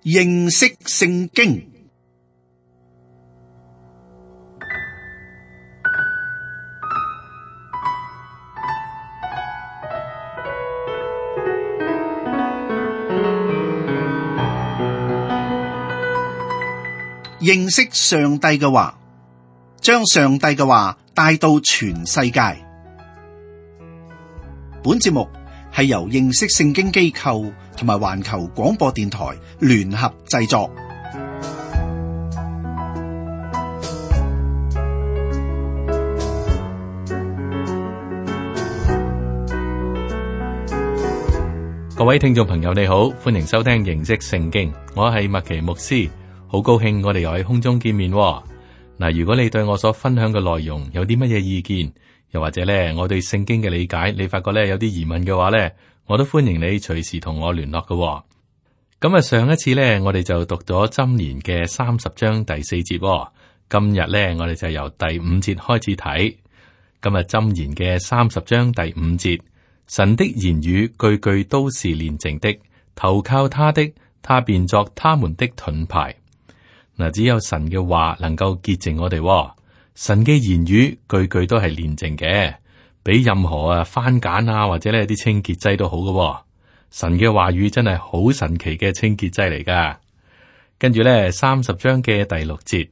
認識聖經。認識上帝嘅話，將上帝嘅話帶到全世界。本節目係由認識聖經機構同埋環球廣播電台聯合製作。各位聽眾朋友你好，歡迎收聽認識聖經，我係麥奇牧師。好高興我哋又喺空中見面喎。嗱，如果你對我所分享嘅內容有啲乜嘢意見，又或者咧我對聖經嘅理解，你發覺咧有啲疑問嘅話咧，我都歡迎你隨時同我聯絡嘅喎。咁啊，上一次咧我哋就讀咗箴言嘅30章第4節喎。今日咧我哋就由第5節開始睇。今日箴言嘅30章第5節，神的言語句句都是煉淨的，投靠他的，他便作他們的盾牌。嗱，只有神嘅話能夠潔淨我哋喎。神嘅言語句句都係煉淨嘅，比任何番梘啊或者呢啲清潔劑都好嘅喎。神嘅話語真係好神奇嘅清潔劑嚟噶。跟住咧30章嘅第6節，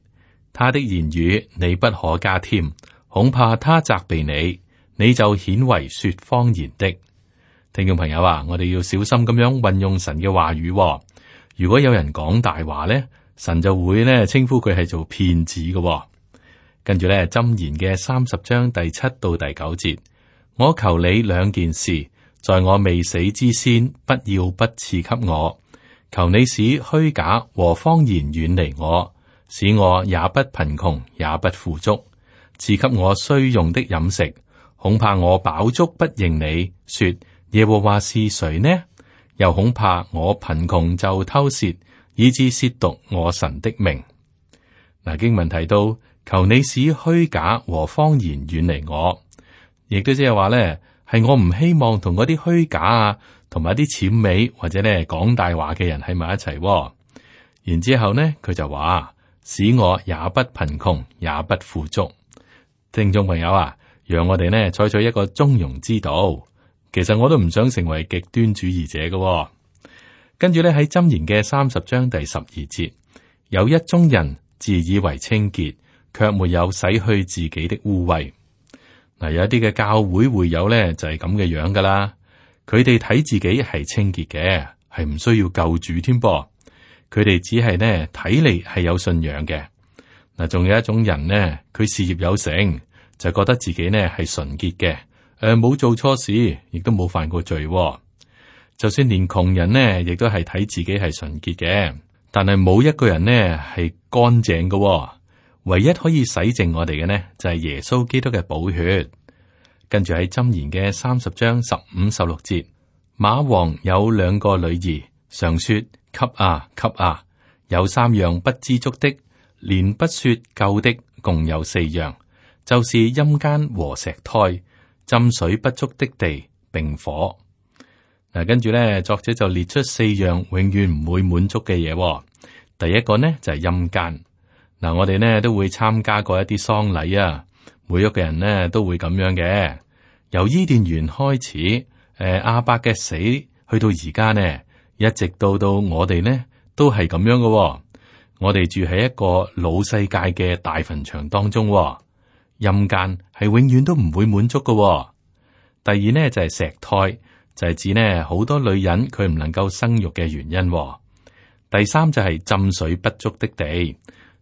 他的言語你不可加添，恐怕他責備你，你就顯為說謊言的。聽眾朋友啊，我哋要小心咁樣運用神嘅話語喎。如果有人講大話咧，神就會咧稱呼佢係做騙子嘅喎。跟住咧箴言嘅30章第7到第9節，我求你2件事，在我未死之先，不要不賜給我。求你使虛假和謊言遠離我，使我也不貧窮也不富足，賜給我需用的飲食。恐怕我飽足不認你，說耶和華是誰呢？又恐怕我貧窮就偷竊，以致褻瀆我神的名。嗱，經文提到，求你使虛假和謊言遠離我，亦都即係話咧，係我唔希望同嗰啲虛假啊，同埋啲諂媚或者咧講大話嘅人喺埋一齊。然之後呢，佢就話，使我也不貧窮也不富足。聽眾朋友啊，讓我哋呢採取一個中庸之道。其實我都唔想成為極端主義者嘅。跟住咧喺箴言嘅30章第12節，有一宗人自以為清潔，卻沒有洗去自己的污穢。嗱，有一啲嘅教會會友咧就係咁嘅樣噶啦，佢哋睇自己係清潔嘅，係唔需要救主添噃。佢哋只係呢睇嚟係有信仰嘅。嗱，仲有一種人呢，佢事業有成，就覺得自己呢係純潔嘅，冇做錯事，亦都冇犯過罪。就算連窮人呢，亦都係睇自己係純潔嘅，但係冇一個人呢係乾淨嘅。唯一可以洗淨我哋嘅呢，就係耶穌基督嘅寶血。跟住喺箴言嘅30章15、16節，馬王有2個女兒，常說給啊給啊，有3樣不知足的，連不說夠的，共有4樣，就是陰間和石胎，浸水不足的地，並火。嗱，跟住咧，作者就列出4樣永遠唔會滿足嘅嘢。第一個呢就係陰間。嗱，我哋呢都會參加過一啲喪禮啊，每一個人呢都會咁樣嘅。由伊甸園開始，亞伯嘅死，去到而家呢，一直到我哋呢都係咁樣嘅。我哋住喺一個老世界嘅大墳場當中，陰間係永遠都唔會滿足嘅。第二呢就係石胎。就係指呢好多女人佢唔能夠生育嘅原因。第三就係浸水不足的地，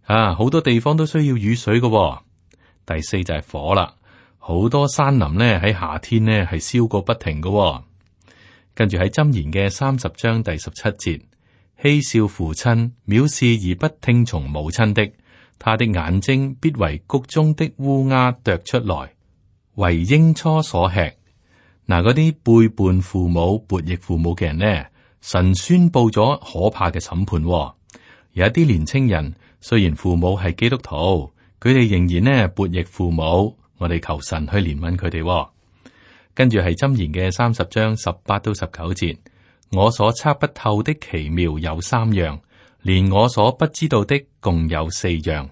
好多地方都需要雨水嘅。第四就係火啦，好多山林呢喺夏天呢係燒個不停嘅。跟住喺箴言嘅30章第17節，嬉笑父親，藐視而不聽從母親的，他的眼睛必為谷中的烏鴉啄出來，為鷹雛所吃。嗱，嗰啲背叛父母、悖逆父母嘅人呢，神宣布咗可怕嘅審判。有一啲年青人，雖然父母係基督徒，佢哋仍然呢悖逆父母。我哋求神去憐憫佢哋。跟住係箴言嘅30章18到19節，我所測不透的奇妙有3樣，連我所不知道的共有4樣，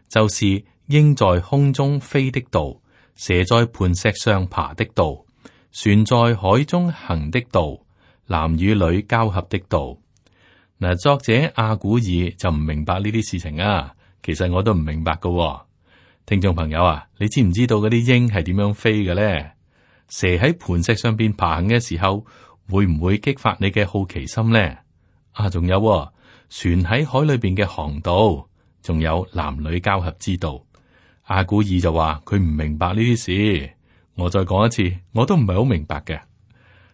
就是鷹在空中飛的道，蛇在磐石上爬的道，船在海中行的道，男與女交合的道。嗱，作者亞古爾就唔明白呢啲事情啊，其實我都唔明白噶。聽眾朋友啊，你知唔知道嗰啲鷹係點樣飛嘅咧？蛇喺磐石上邊爬行嘅時候，會唔會激發你嘅好奇心咧？啊，仲有船喺海裏邊嘅航道，仲有男女交合之道。亞古爾就話佢唔明白呢啲事。我再講一次，我都唔係好明白嘅。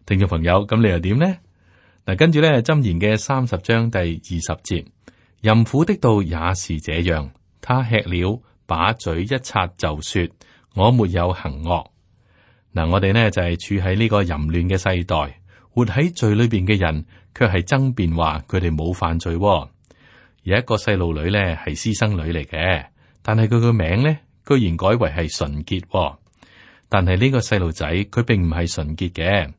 聽眾朋友，咁你又點呢？嗱，跟住咧，箴言嘅30章第20節，淫婦的道也是這樣，他吃了，把嘴一擦就說我沒有行惡。嗱，我哋呢就係處喺呢個淫亂嘅世代，活喺罪裏邊嘅人，卻係爭辯話佢哋冇犯罪。有一個細路女咧係私生女嚟嘅，但係佢個名咧居然改為係純潔。但係呢個細路仔佢並唔係純潔嘅。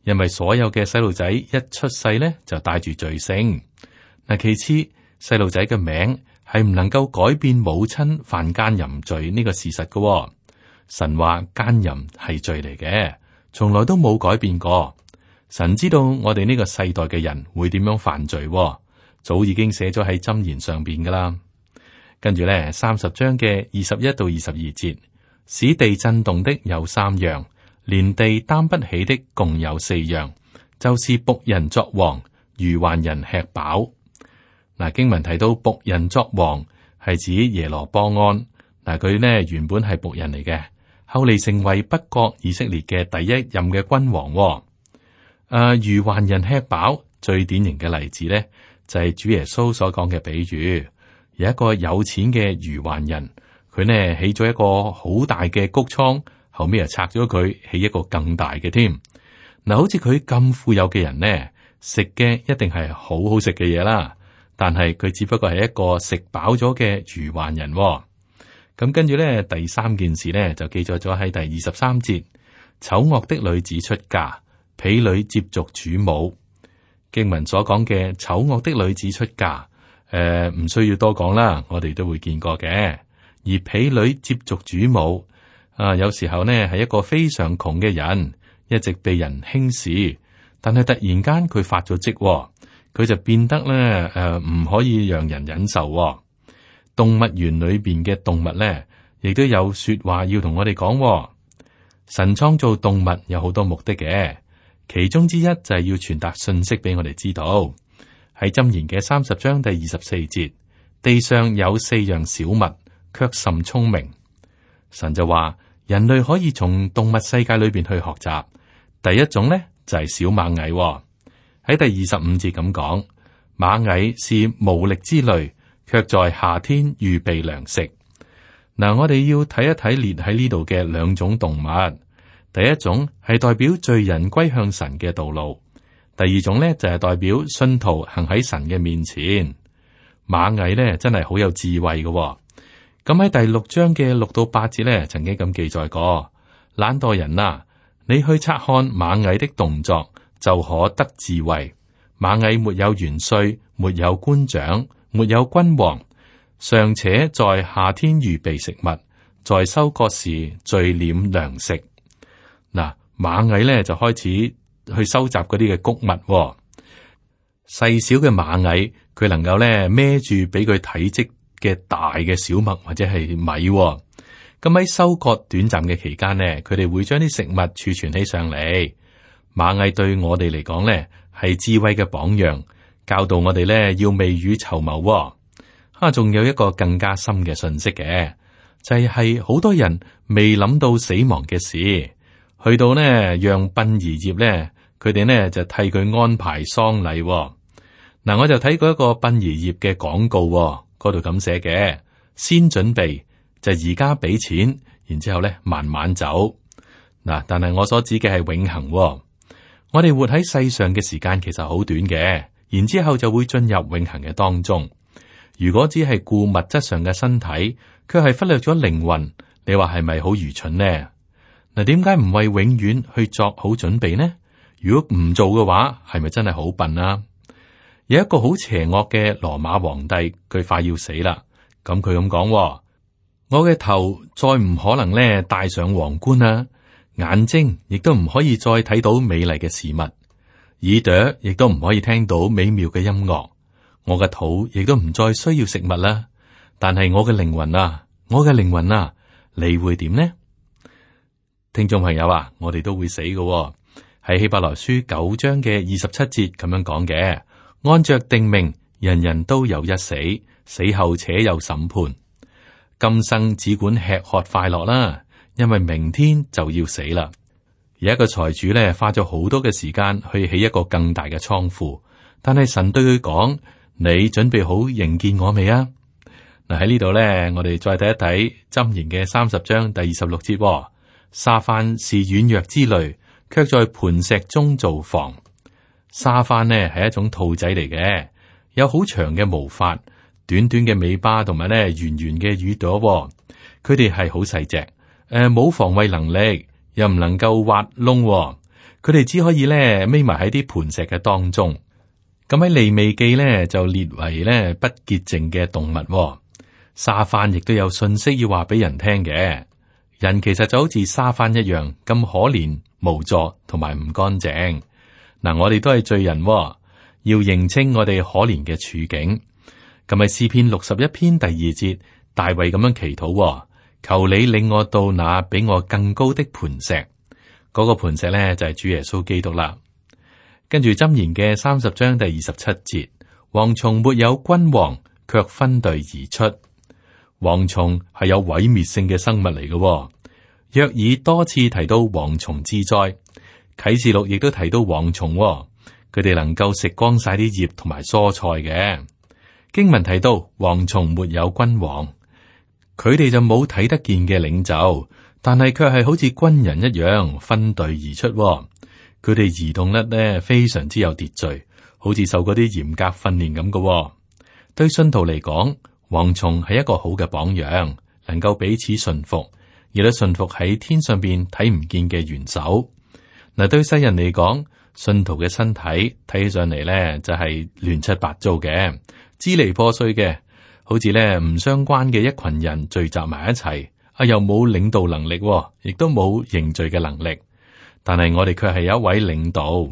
因為所有嘅細路仔一出世咧就帶住罪性。嗱，其次細路仔嘅名係唔能夠改變母親犯奸淫罪呢個事實嘅。神話奸淫係罪嚟嘅，從來都冇改變過。神知道我哋呢個世代嘅人會點樣犯罪，早已經寫咗喺箴言上邊噶啦。跟住咧30章嘅21到22節，使地震動的有3樣。連地擔不起的共有4樣，就是僕人作王，愚頑人吃飽。嗱，經文提到僕人作王係指耶羅波安。嗱，佢呢原本係僕人嚟嘅，後嚟成為北國以色列嘅第一任嘅君王。愚頑人吃飽最典型嘅例子呢，就係主耶穌所講嘅比喻。有一個有錢嘅愚頑人，佢呢起咗一個好大嘅穀倉。後尾又拆咗佢，起一個更大嘅添。嗱，好似佢咁富有嘅人呢，食嘅一定係好好食嘅嘢啦。但係佢只不過係一個食飽咗嘅愚頑人。咁跟住咧，第3件事咧就記載咗喺第23節。醜惡的女子出嫁，婢女接續主母。經文所講嘅醜惡的女子出嫁，唔需要多講啦，我哋都會見過嘅。而婢女接續主母。有時候呢係一個非常窮嘅人，一直被人輕視，但係突然間佢發咗職，佢就變得咧唔可以讓人忍受。動物園裏邊嘅動物咧，亦都有說話要同我哋講。神創造動物有好多目的嘅，其中之一就係要傳達信息俾我哋知道。喺箴言嘅30章第24節，地上有4樣小物，卻甚聰明。神就話。人類可以從動物世界裏邊去學習。第一種呢，就係小螞蟻。喺第25節咁講，螞蟻是無力之類，卻在夏天預備糧食。嗱，我哋要睇一睇列喺呢度嘅2種動物。第一種係代表罪人歸向神嘅道路，第二種呢，就係代表信徒行喺神嘅面前。螞蟻呢，真係好有智慧嘅。咁喺第6章嘅6到8節咧，曾經咁記載過：懶惰人啊，你去察看螞蟻的動作，就可得智慧。螞蟻沒有元帥，沒有官長，沒有君王，尚且在夏天預備食物，在收割時聚斂糧食。嗱，螞蟻咧就開始去收集嗰啲嘅穀物。細小嘅螞蟻，佢能夠咧孭住比佢體積嘅大嘅小麥或者係米。咁喺收割短暫嘅期間呢，佢哋會將啲食物儲存起上嚟。螞蟻對我哋嚟講呢，係智慧嘅榜樣，教導我哋呢要未雨綢繆。仲有一個更加深嘅信息嘅，就係好多人未諗到死亡嘅事，去到呢讓殯儀業呢，佢哋呢就替佢安排喪禮。嗱，我就睇過一個殯儀業嘅廣告，嗰度咁寫嘅：先準備就而家俾錢，然之後咧慢慢走。嗱，但係我所指嘅係永恆。我哋活喺世上嘅時間其實好短嘅，然之後就會進入永恆嘅當中。如果只係顧物質上嘅身體，卻係忽略咗靈魂，你話係咪好愚蠢呢？嗱，點解唔為永遠去作好準備呢？如果唔做嘅話，係咪真係好笨啊？有一個好邪惡嘅羅馬皇帝，佢快要死啦。咁佢咁講：我嘅頭再唔可能咧戴上皇冠啦，眼睛亦都唔可以再睇到美麗嘅事物，耳朵亦都唔可以聽到美妙嘅音樂，我嘅肚亦都唔再需要食物啦。但係我嘅靈魂啊，我嘅靈魂啊，你會點呢？聽眾朋友啊，我哋都會死嘅。喺希伯來書9章嘅27節咁樣講嘅，按着定命，人人都有一死，死後且有審判。今生只管吃喝快樂啦，因為明天就要死啦。有一個財主咧，花咗好多嘅時間去起一個更大嘅倉庫，但係神對佢講：你準備好迎見我未啊？嗱，喺呢度咧，我哋再睇一睇箴言嘅30章第26節。沙番是軟弱之類，卻在磐石中造房。沙番呢係一種兔仔嚟嘅，有好長嘅毛髮，短短嘅尾巴，同埋咧圓圓嘅耳朵。佢哋係好細隻，冇防衛能力，又唔能夠挖窿。佢哋只可以咧匿埋喺啲磐石嘅當中。咁喺利未記咧就列為咧不潔淨嘅動物。沙番亦都有信息要話俾人聽嘅。人其實就好似沙番一樣咁可憐無助同埋唔乾淨。嗱，我哋都係罪人，要認清我哋可憐嘅處境。咁喺詩篇61篇第2節，大衛咁樣祈禱：求你領我到那比我更高的磐石。嗰個磐石咧就係主耶穌基督啦。跟住箴言嘅30章第27節，蝗蟲沒有君王，卻分隊而出。蝗蟲係有毀滅性嘅生物嚟嘅。約珥多次提到蝗蟲之災，啟示錄亦都提到蝗蟲，佢哋能夠食光晒啲葉同埋蔬菜嘅。經文提到蝗蟲沒有君王，佢哋就冇睇得見嘅領袖，但係卻係好似軍人一樣分隊而出。佢哋移動得呢非常之有秩序，好似受嗰啲嚴格訓練咁嘅。對信徒嚟講，蝗蟲係一個好嘅榜樣，能夠彼此順服，亦都順服喺天上邊睇唔見嘅元首。嗱，對世人嚟講，信徒嘅身體睇起上嚟咧就係亂七八糟嘅，支離破碎嘅，好似咧唔相關嘅一群人聚集埋一齊，又冇領導能力，亦都冇凝聚嘅能力。但係我哋卻係有一位領導，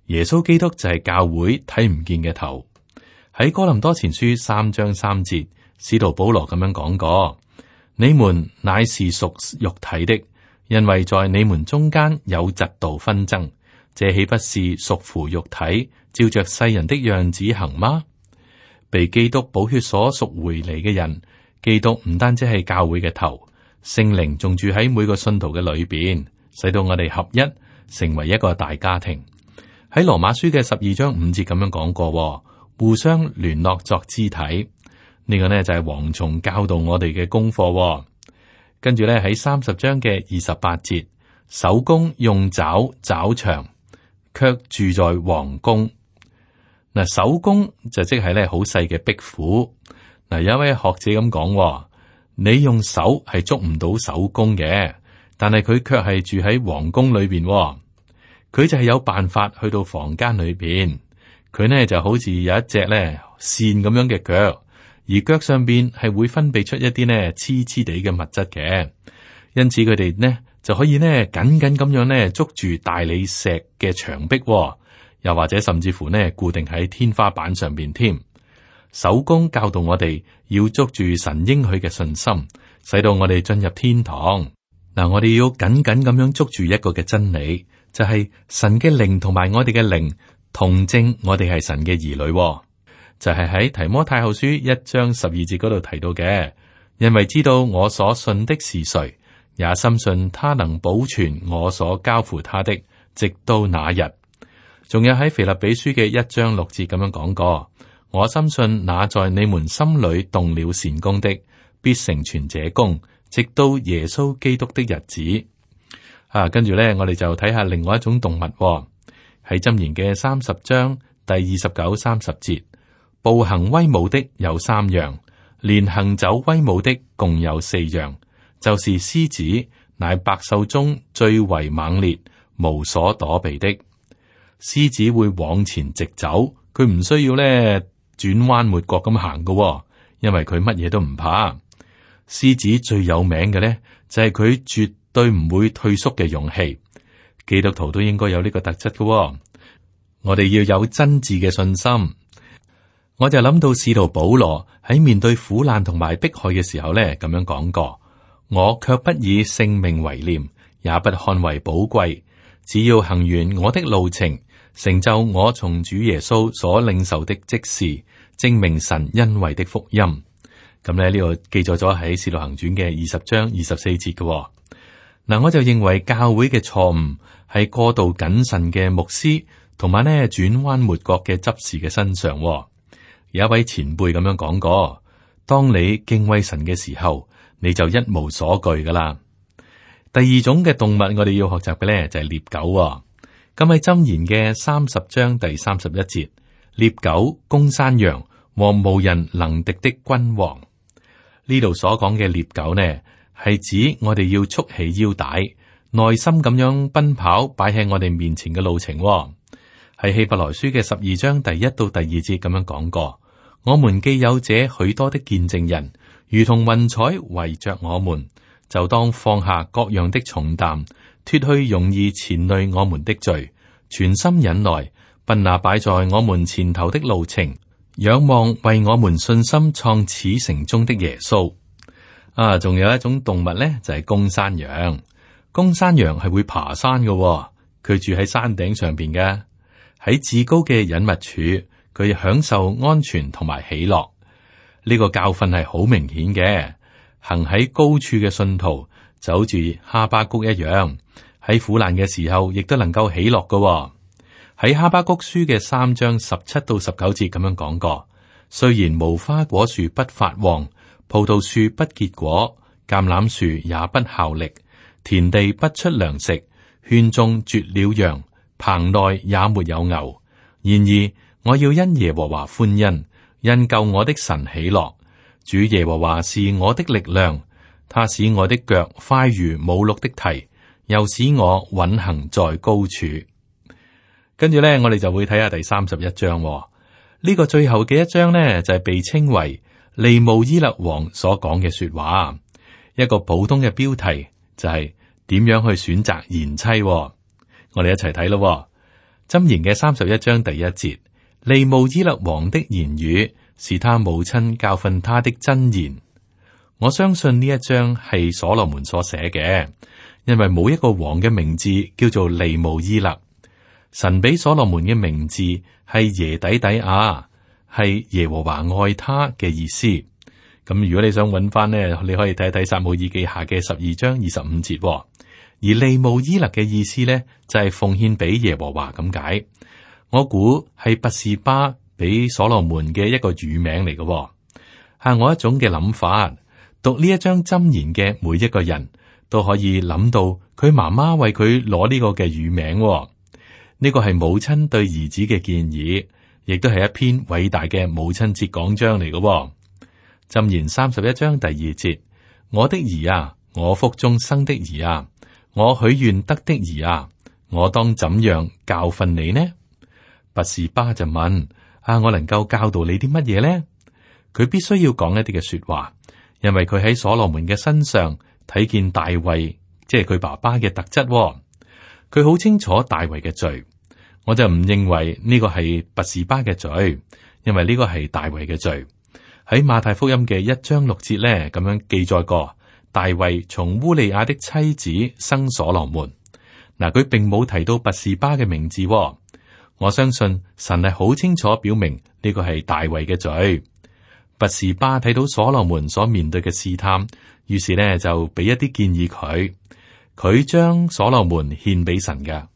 耶穌基督就係教會睇唔見嘅頭。喺哥林多前書3章3節，使徒保羅咁樣講過：你們乃是屬肉體的，因為在你們中間有嫉妒紛爭，這豈不是屬乎肉體，照着世人的樣子行嗎？被基督寶血所贖回嚟嘅人，基督唔單止係教會嘅頭，聖靈仲住喺每個信徒嘅裏邊，使到我哋合一，成為一個大家庭。喺羅馬書嘅12章5節咁樣講過，互相聯絡作肢體。呢個呢就係蝗蟲教導我哋嘅功課。跟住咧喺30章嘅28節，守宮用爪抓牆，卻住在皇宮。嗱，守宮就即係咧好細嘅壁虎。嗱，有一位學者咁講，你用手係捉唔到守宮嘅，但係佢卻係住喺皇宮裏邊。佢就係有辦法去到房間裏邊。佢呢就好似有一隻咧線咁樣嘅腳。而腳上邊係會分泌出一啲呢黐黐地嘅物質嘅，因此佢哋呢就可以呢緊緊咁樣呢捉住大理石嘅牆壁，又或者甚至乎呢固定喺天花板上邊添。守宮教導我哋要捉住神應許嘅信心，使到我哋進入天堂。嗱，我哋要緊緊咁樣捉住一個嘅真理，就係神嘅靈同埋我哋嘅靈同證我哋係神嘅兒女。就係喺提摩太後書1章12節嗰度提到嘅，因為知道我所信的是誰，也深信他能保存我所交付他的，直到那日。仲有喺腓立比書嘅1章6節咁樣講過，我深信那在你們心裏動了善工的，必成全這工，直到耶穌基督的日子。跟住咧，我哋就睇下另外一種動物，喺箴言嘅30章第29、30節。步行威武的有3樣，連行走威武的共有4樣，就是獅子，乃百獸中最為猛烈，無所躲避的。獅子會往前直走，佢唔需要咧轉彎抹角咁行㗎，因為佢乜嘢都唔怕。獅子最有名嘅咧就係佢絕對唔會退縮嘅勇氣。基督徒都應該有呢個特質㗎。我哋要有真摯嘅信心。我就諗到使徒保羅喺面對苦難同埋迫害嘅時候咧，咁樣講過：我卻不以性命為念，也不看為寶貴，只要行完我的路程，成就我從主耶穌所領受的職事，證明神恩惠的福音。咁咧呢個記載咗喺《使徒行傳》嘅20章24節嘅。嗱，我就認為教會嘅錯誤係過度謹慎嘅牧師同埋呢轉彎抹角嘅執事嘅身上。有一位前輩咁樣講過：當你敬畏神嘅時候，你就一無所懼噶啦。第二種嘅動物，我哋要學習嘅咧就係獵狗。咁喺箴言嘅30章第31節，獵狗攻山羊和無人能敵的君王。呢度所講嘅獵狗呢，係指我哋要束起腰帶，耐心咁樣奔跑，擺喺我哋面前嘅路程。喺希伯來書嘅12章第1到第2節咁樣講過：我們既有這許多的見證人，如同雲彩圍着我們，就當放下各樣的重擔，脫去容易纏累我們的罪，全心忍耐，奔那擺在我們前頭的路程，仰望為我們信心創始成終的耶穌。仲有一種動物呢，就係公山羊。公山羊係會爬山嘅，佢住喺山頂上邊嘅。喺至高嘅隱密處，佢享受安全同埋喜樂。呢個教訓係好明顯嘅。行喺高處嘅信徒就好似哈巴谷一樣，喺苦難嘅時候亦都能夠喜樂嘅。喺哈巴谷書嘅3章17到19節咁樣講過：雖然無花果樹不發旺，葡萄樹不結果，橄欖樹也不效力，田地不出糧食，圈中絕了羊，棚內也沒有牛。然而我要因耶和華歡欣，因救我的神喜樂。主耶和華是我的力量，他使我的腳快如母鹿的蹄，又使我穩行在高處。跟住咧，我哋就會睇下第31章。呢個最後嘅一章呢，就係被稱為利慕伊勒王所講嘅說話。一個普通嘅標題就係點樣去選擇賢妻。我哋一齊睇咯。箴言嘅31章第1節，利慕伊勒王的言語是他母親教訓他的真言。我相信呢一章係所羅門所寫嘅，因為冇一個王嘅名字叫做利慕伊勒。神俾所羅門嘅名字係耶底底亞，係耶和華愛他嘅意思。咁如果你想揾翻呢，你可以睇睇撒母耳記下嘅12章25節。而利慕伊勒嘅意思呢，就係奉獻俾耶和華咁解。我估係拔示巴俾所羅門嘅一個乳名嚟嘅。係我一種嘅諗法，讀呢一章箴言嘅每一個人都可以諗到佢媽媽為佢攞呢個嘅乳名。呢個係母親對兒子嘅建議，亦都係一篇偉大嘅母親節講章嚟嘅。箴言31章第2節：我的兒啊，我腹中生的兒啊，我許願得的兒啊，我當怎樣教訓你呢？拔示巴就問：我能夠教導你啲乜嘢呢？佢必須要講一啲嘅說話，因為佢喺所羅門嘅身上睇見大衛，即係佢爸爸嘅特質。佢好清楚大衛嘅罪，我就唔認為呢個係拔示巴嘅罪，因為呢個係大衛嘅罪。喺馬太福音嘅1章6節咧，咁樣記載過，大衛從烏利亞的妻子生所羅門。嗱，佢並冇提到拔示巴嘅名字。我相信神係好清楚表明呢個係大衛嘅罪。拔示巴睇到所羅門所面對嘅試探，於是呢就俾一啲建議佢。佢將所羅門獻俾神嘅。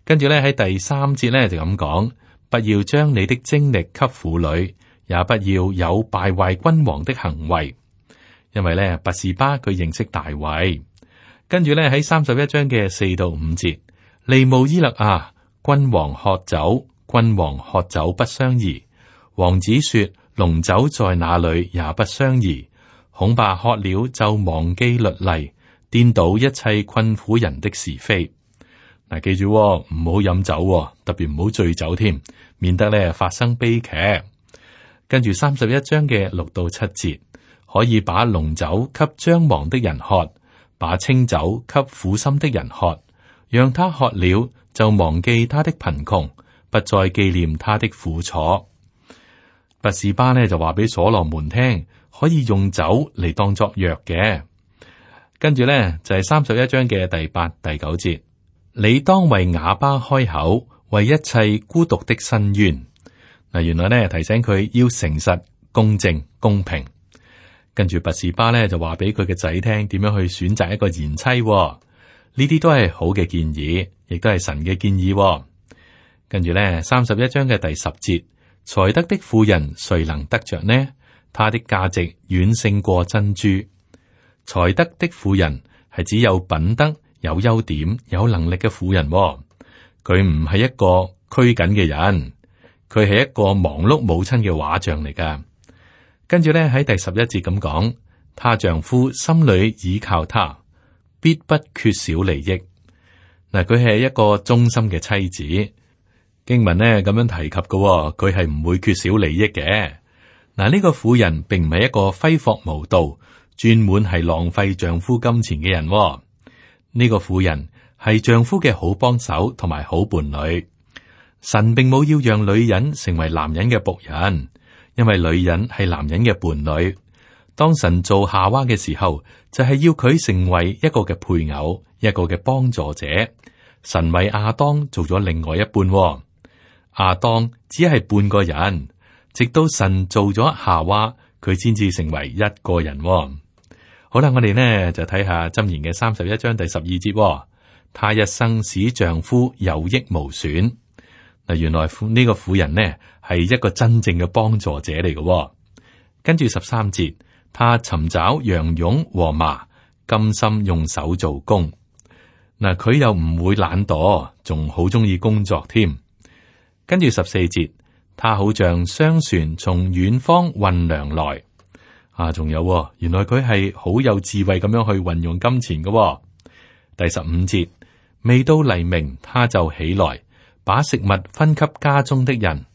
跟住咧喺第3節咧就咁講：不要將你的精力給婦女，也不要有敗壞君王的行為。因為咧拔示巴佢認識大衛。跟住咧喺31章嘅4到5節，利慕伊勒啊，君王喝酒，君王喝酒不相宜。王子說：濃酒在哪裏也不相宜。恐怕喝了就忘記律例，顛倒一切困苦人的是非。嗱，記住唔好飲酒，特別唔好醉酒添，免得咧發生悲劇。跟住31章嘅6到7節，可以把濃酒給將亡的人喝，把清酒給苦心的人喝，讓他喝了就忘記他的貧窮，不再紀念他的苦楚。拔士巴呢就話俾所羅門聽，可以用酒嚟當作藥嘅。跟住呢就係31章嘅第8、第9節，你當為啞巴開口，為一切孤獨的申冤。嗱，原來呢提醒佢要誠實、公正、公平。跟住拔士巴呢就話俾佢嘅仔聽點樣去選擇一個賢妻。呢啲都係好嘅建議，亦都係神嘅建議。跟住呢31章嘅第10節，才德的婦人誰能得着呢？她的價值遠勝過珍珠。才德的婦人係只有品德、有優點、有能力嘅婦人。佢唔係一個拘謹嘅人，佢係一個忙碌母親嘅畫像嚟噶。跟住咧喺第11節咁講，她丈夫心裏倚靠她，必不缺少利益。嗱，佢係一個忠心嘅妻子。經文呢咁樣提及嘅，佢係唔會缺少利益嘅。嗱，呢個婦人並唔係一個揮霍無度、專門係浪費丈夫金錢嘅人。呢個婦人係丈夫嘅好幫手同埋好伴侶。神並冇要讓女人成為男人嘅僕人，因為女人係男人嘅伴侶。當神做夏娃嘅時候，就係要佢成為一個嘅配偶，一個嘅幫助者。神為亞當做咗另外一半。亞當只係半個人，直到神做咗夏娃，佢先至成為一個人。好啦，我哋呢就睇下箴言嘅31章第12節。她一生使丈夫有益無損。嗱，原來呢個婦人呢係一個真正嘅幫助者嚟嘅。跟住13節，她尋找羊絨和麻，甘心用手做工。嗱，佢又唔會懶惰，仲好中意工作添。跟住14節，他好像商船從遠方運糧來。仲有，原來佢係好有智慧咁樣去運用金錢嘅。第15節，未到黎明，他就起來，把食物分給家中的人，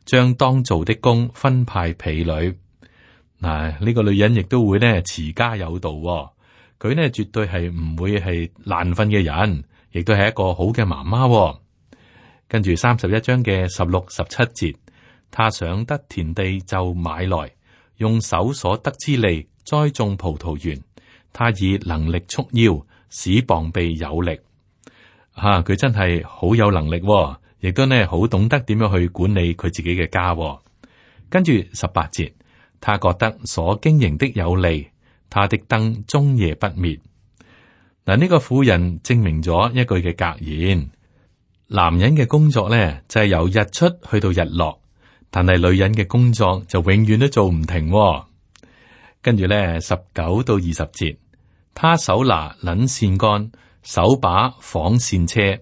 將當做的工分派婢女。嗱，呢個女人亦都會呢持家有道。佢呢絕對係唔會係爛瞓嘅人，亦都係一個好嘅媽媽。跟住31章嘅16、17節，他想得田地就買來，用手所得之利栽種葡萄園。他以能力束腰，使膀臂有力。佢真係好有能力，亦都呢好懂得點樣去管理佢自己嘅家。跟住18節，他覺得所經營的有利，他的燈終夜不滅。嗱，呢個婦人證明咗一句嘅格言。男人嘅工作咧就係由日出去到日落，但係女人嘅工作就永遠都做唔停。跟住咧19到20節，他手拿捻線杆，手把紡線車，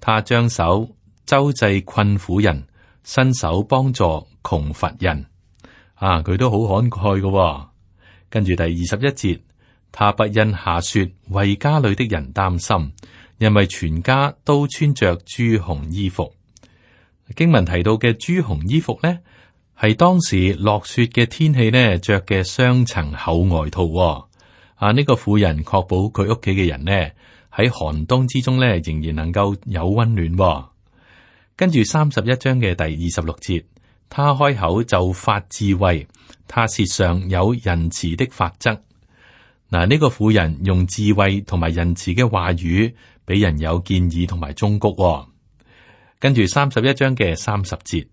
他將手周濟困苦人，伸手幫助窮乏人。佢都好慷慨嘅。跟住第21節，他不因下雪為家裏的人擔心，因為全家都穿着朱紅衣服。經文提到嘅朱紅衣服呢，係當時落雪嘅天氣呢着嘅雙層厚外套。呢個婦人確保佢屋企嘅人呢喺寒冬之中呢仍然能夠有溫暖。跟住31章嘅第26節，他開口就發智慧，他舌上有仁慈的法則。呢個婦人用智慧同埋仁慈嘅話語，俾人有建議同埋忠告。跟住31章嘅30節，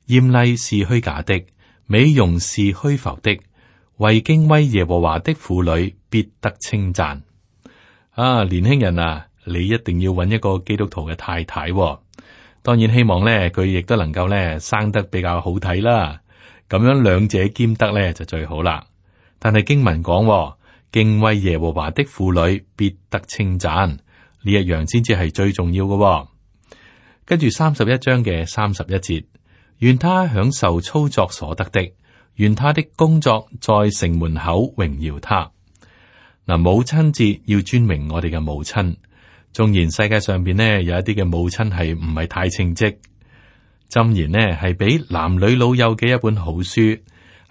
艷麗是虛假的，美容是虛浮的，為敬畏耶和華的婦女必得稱讚。年輕人啊，你一定要揾一個基督徒嘅太太。當然希望咧，佢亦都能夠咧生得比較好睇啦。咁樣兩者兼得咧就最好啦。但係經文講，敬畏耶和華的婦女必得稱讚，呢一樣先至係最重要嘅。跟住31章嘅31節，願他享受操作所得的，願他的工作在城門口榮耀他。母親節要尊榮我哋嘅母親，縱然世界上邊呢有一啲嘅母親係唔係太稱職，箴言呢係俾男女老幼嘅一本好書，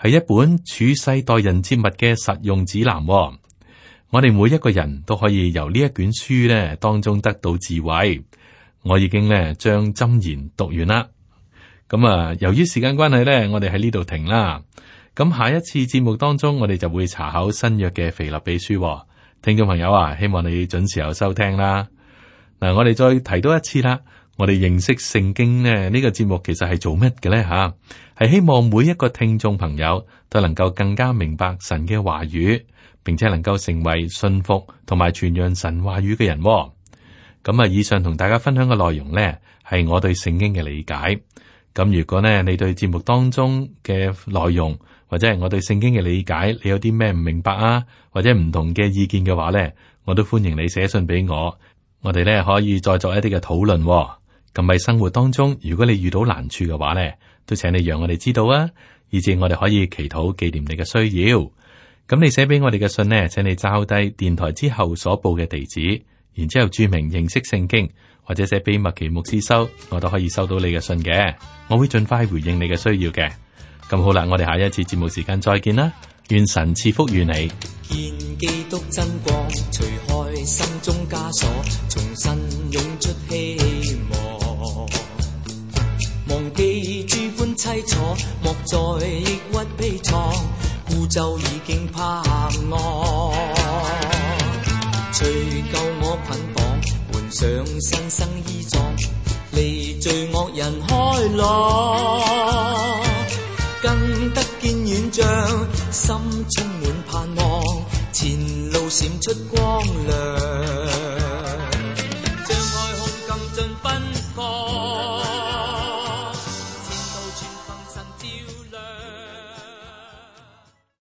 係一本處世待人接物嘅實用指南。我哋每一個人都可以由呢一卷書呢當中得到智慧。我已經呢將箴言讀完啦。咁啊，由於時間關係呢，我哋喺呢度停啦。咁下一次節目當中，我哋就會查考新約嘅腓立比書。聽眾朋友啊，希望你準時候收聽啦。嗱，我哋再提多一次啦。我哋認識聖經呢個節目其實係做乜嘅呢？吓，係希望每一個聽眾朋友都能夠更加明白神嘅話語，並且能夠成為信服同埋傳揚神話語嘅人。咁啊，以上同大家分享嘅內容呢，係我對聖經嘅理解。咁如果呢，你對節目當中嘅內容或者係我對聖經嘅理解，你有啲咩唔明白啊，或者唔同嘅意見嘅話呢，我都歡迎你寫信俾我。我哋呢可以再作一啲嘅討論。咁喺生活當中，如果你遇到難處嘅話呢，都請你讓我哋知道啊，以至我哋可以祈禱紀念你嘅需要。咁你寫俾我哋嘅信呢，請你抄低電台之後所報嘅地址，然之後注明認識聖經，或者寫俾麥奇牧師收，我都可以收到你嘅信嘅。我會盡快回應你嘅需要嘅。咁好啦，我哋下一次節目時間再見啦，願神賜福於你。見基督真光，除開心中枷鎖，重新湧出希望。忘記諸般凄楚，莫再抑鬱悲愴，孤舟已經泊岸。除舊我捆綁，換上新生衣裝，離罪惡人開朗，更得見遠像，心充滿盼望，前路閃出光亮，張開胸襟盡奔放。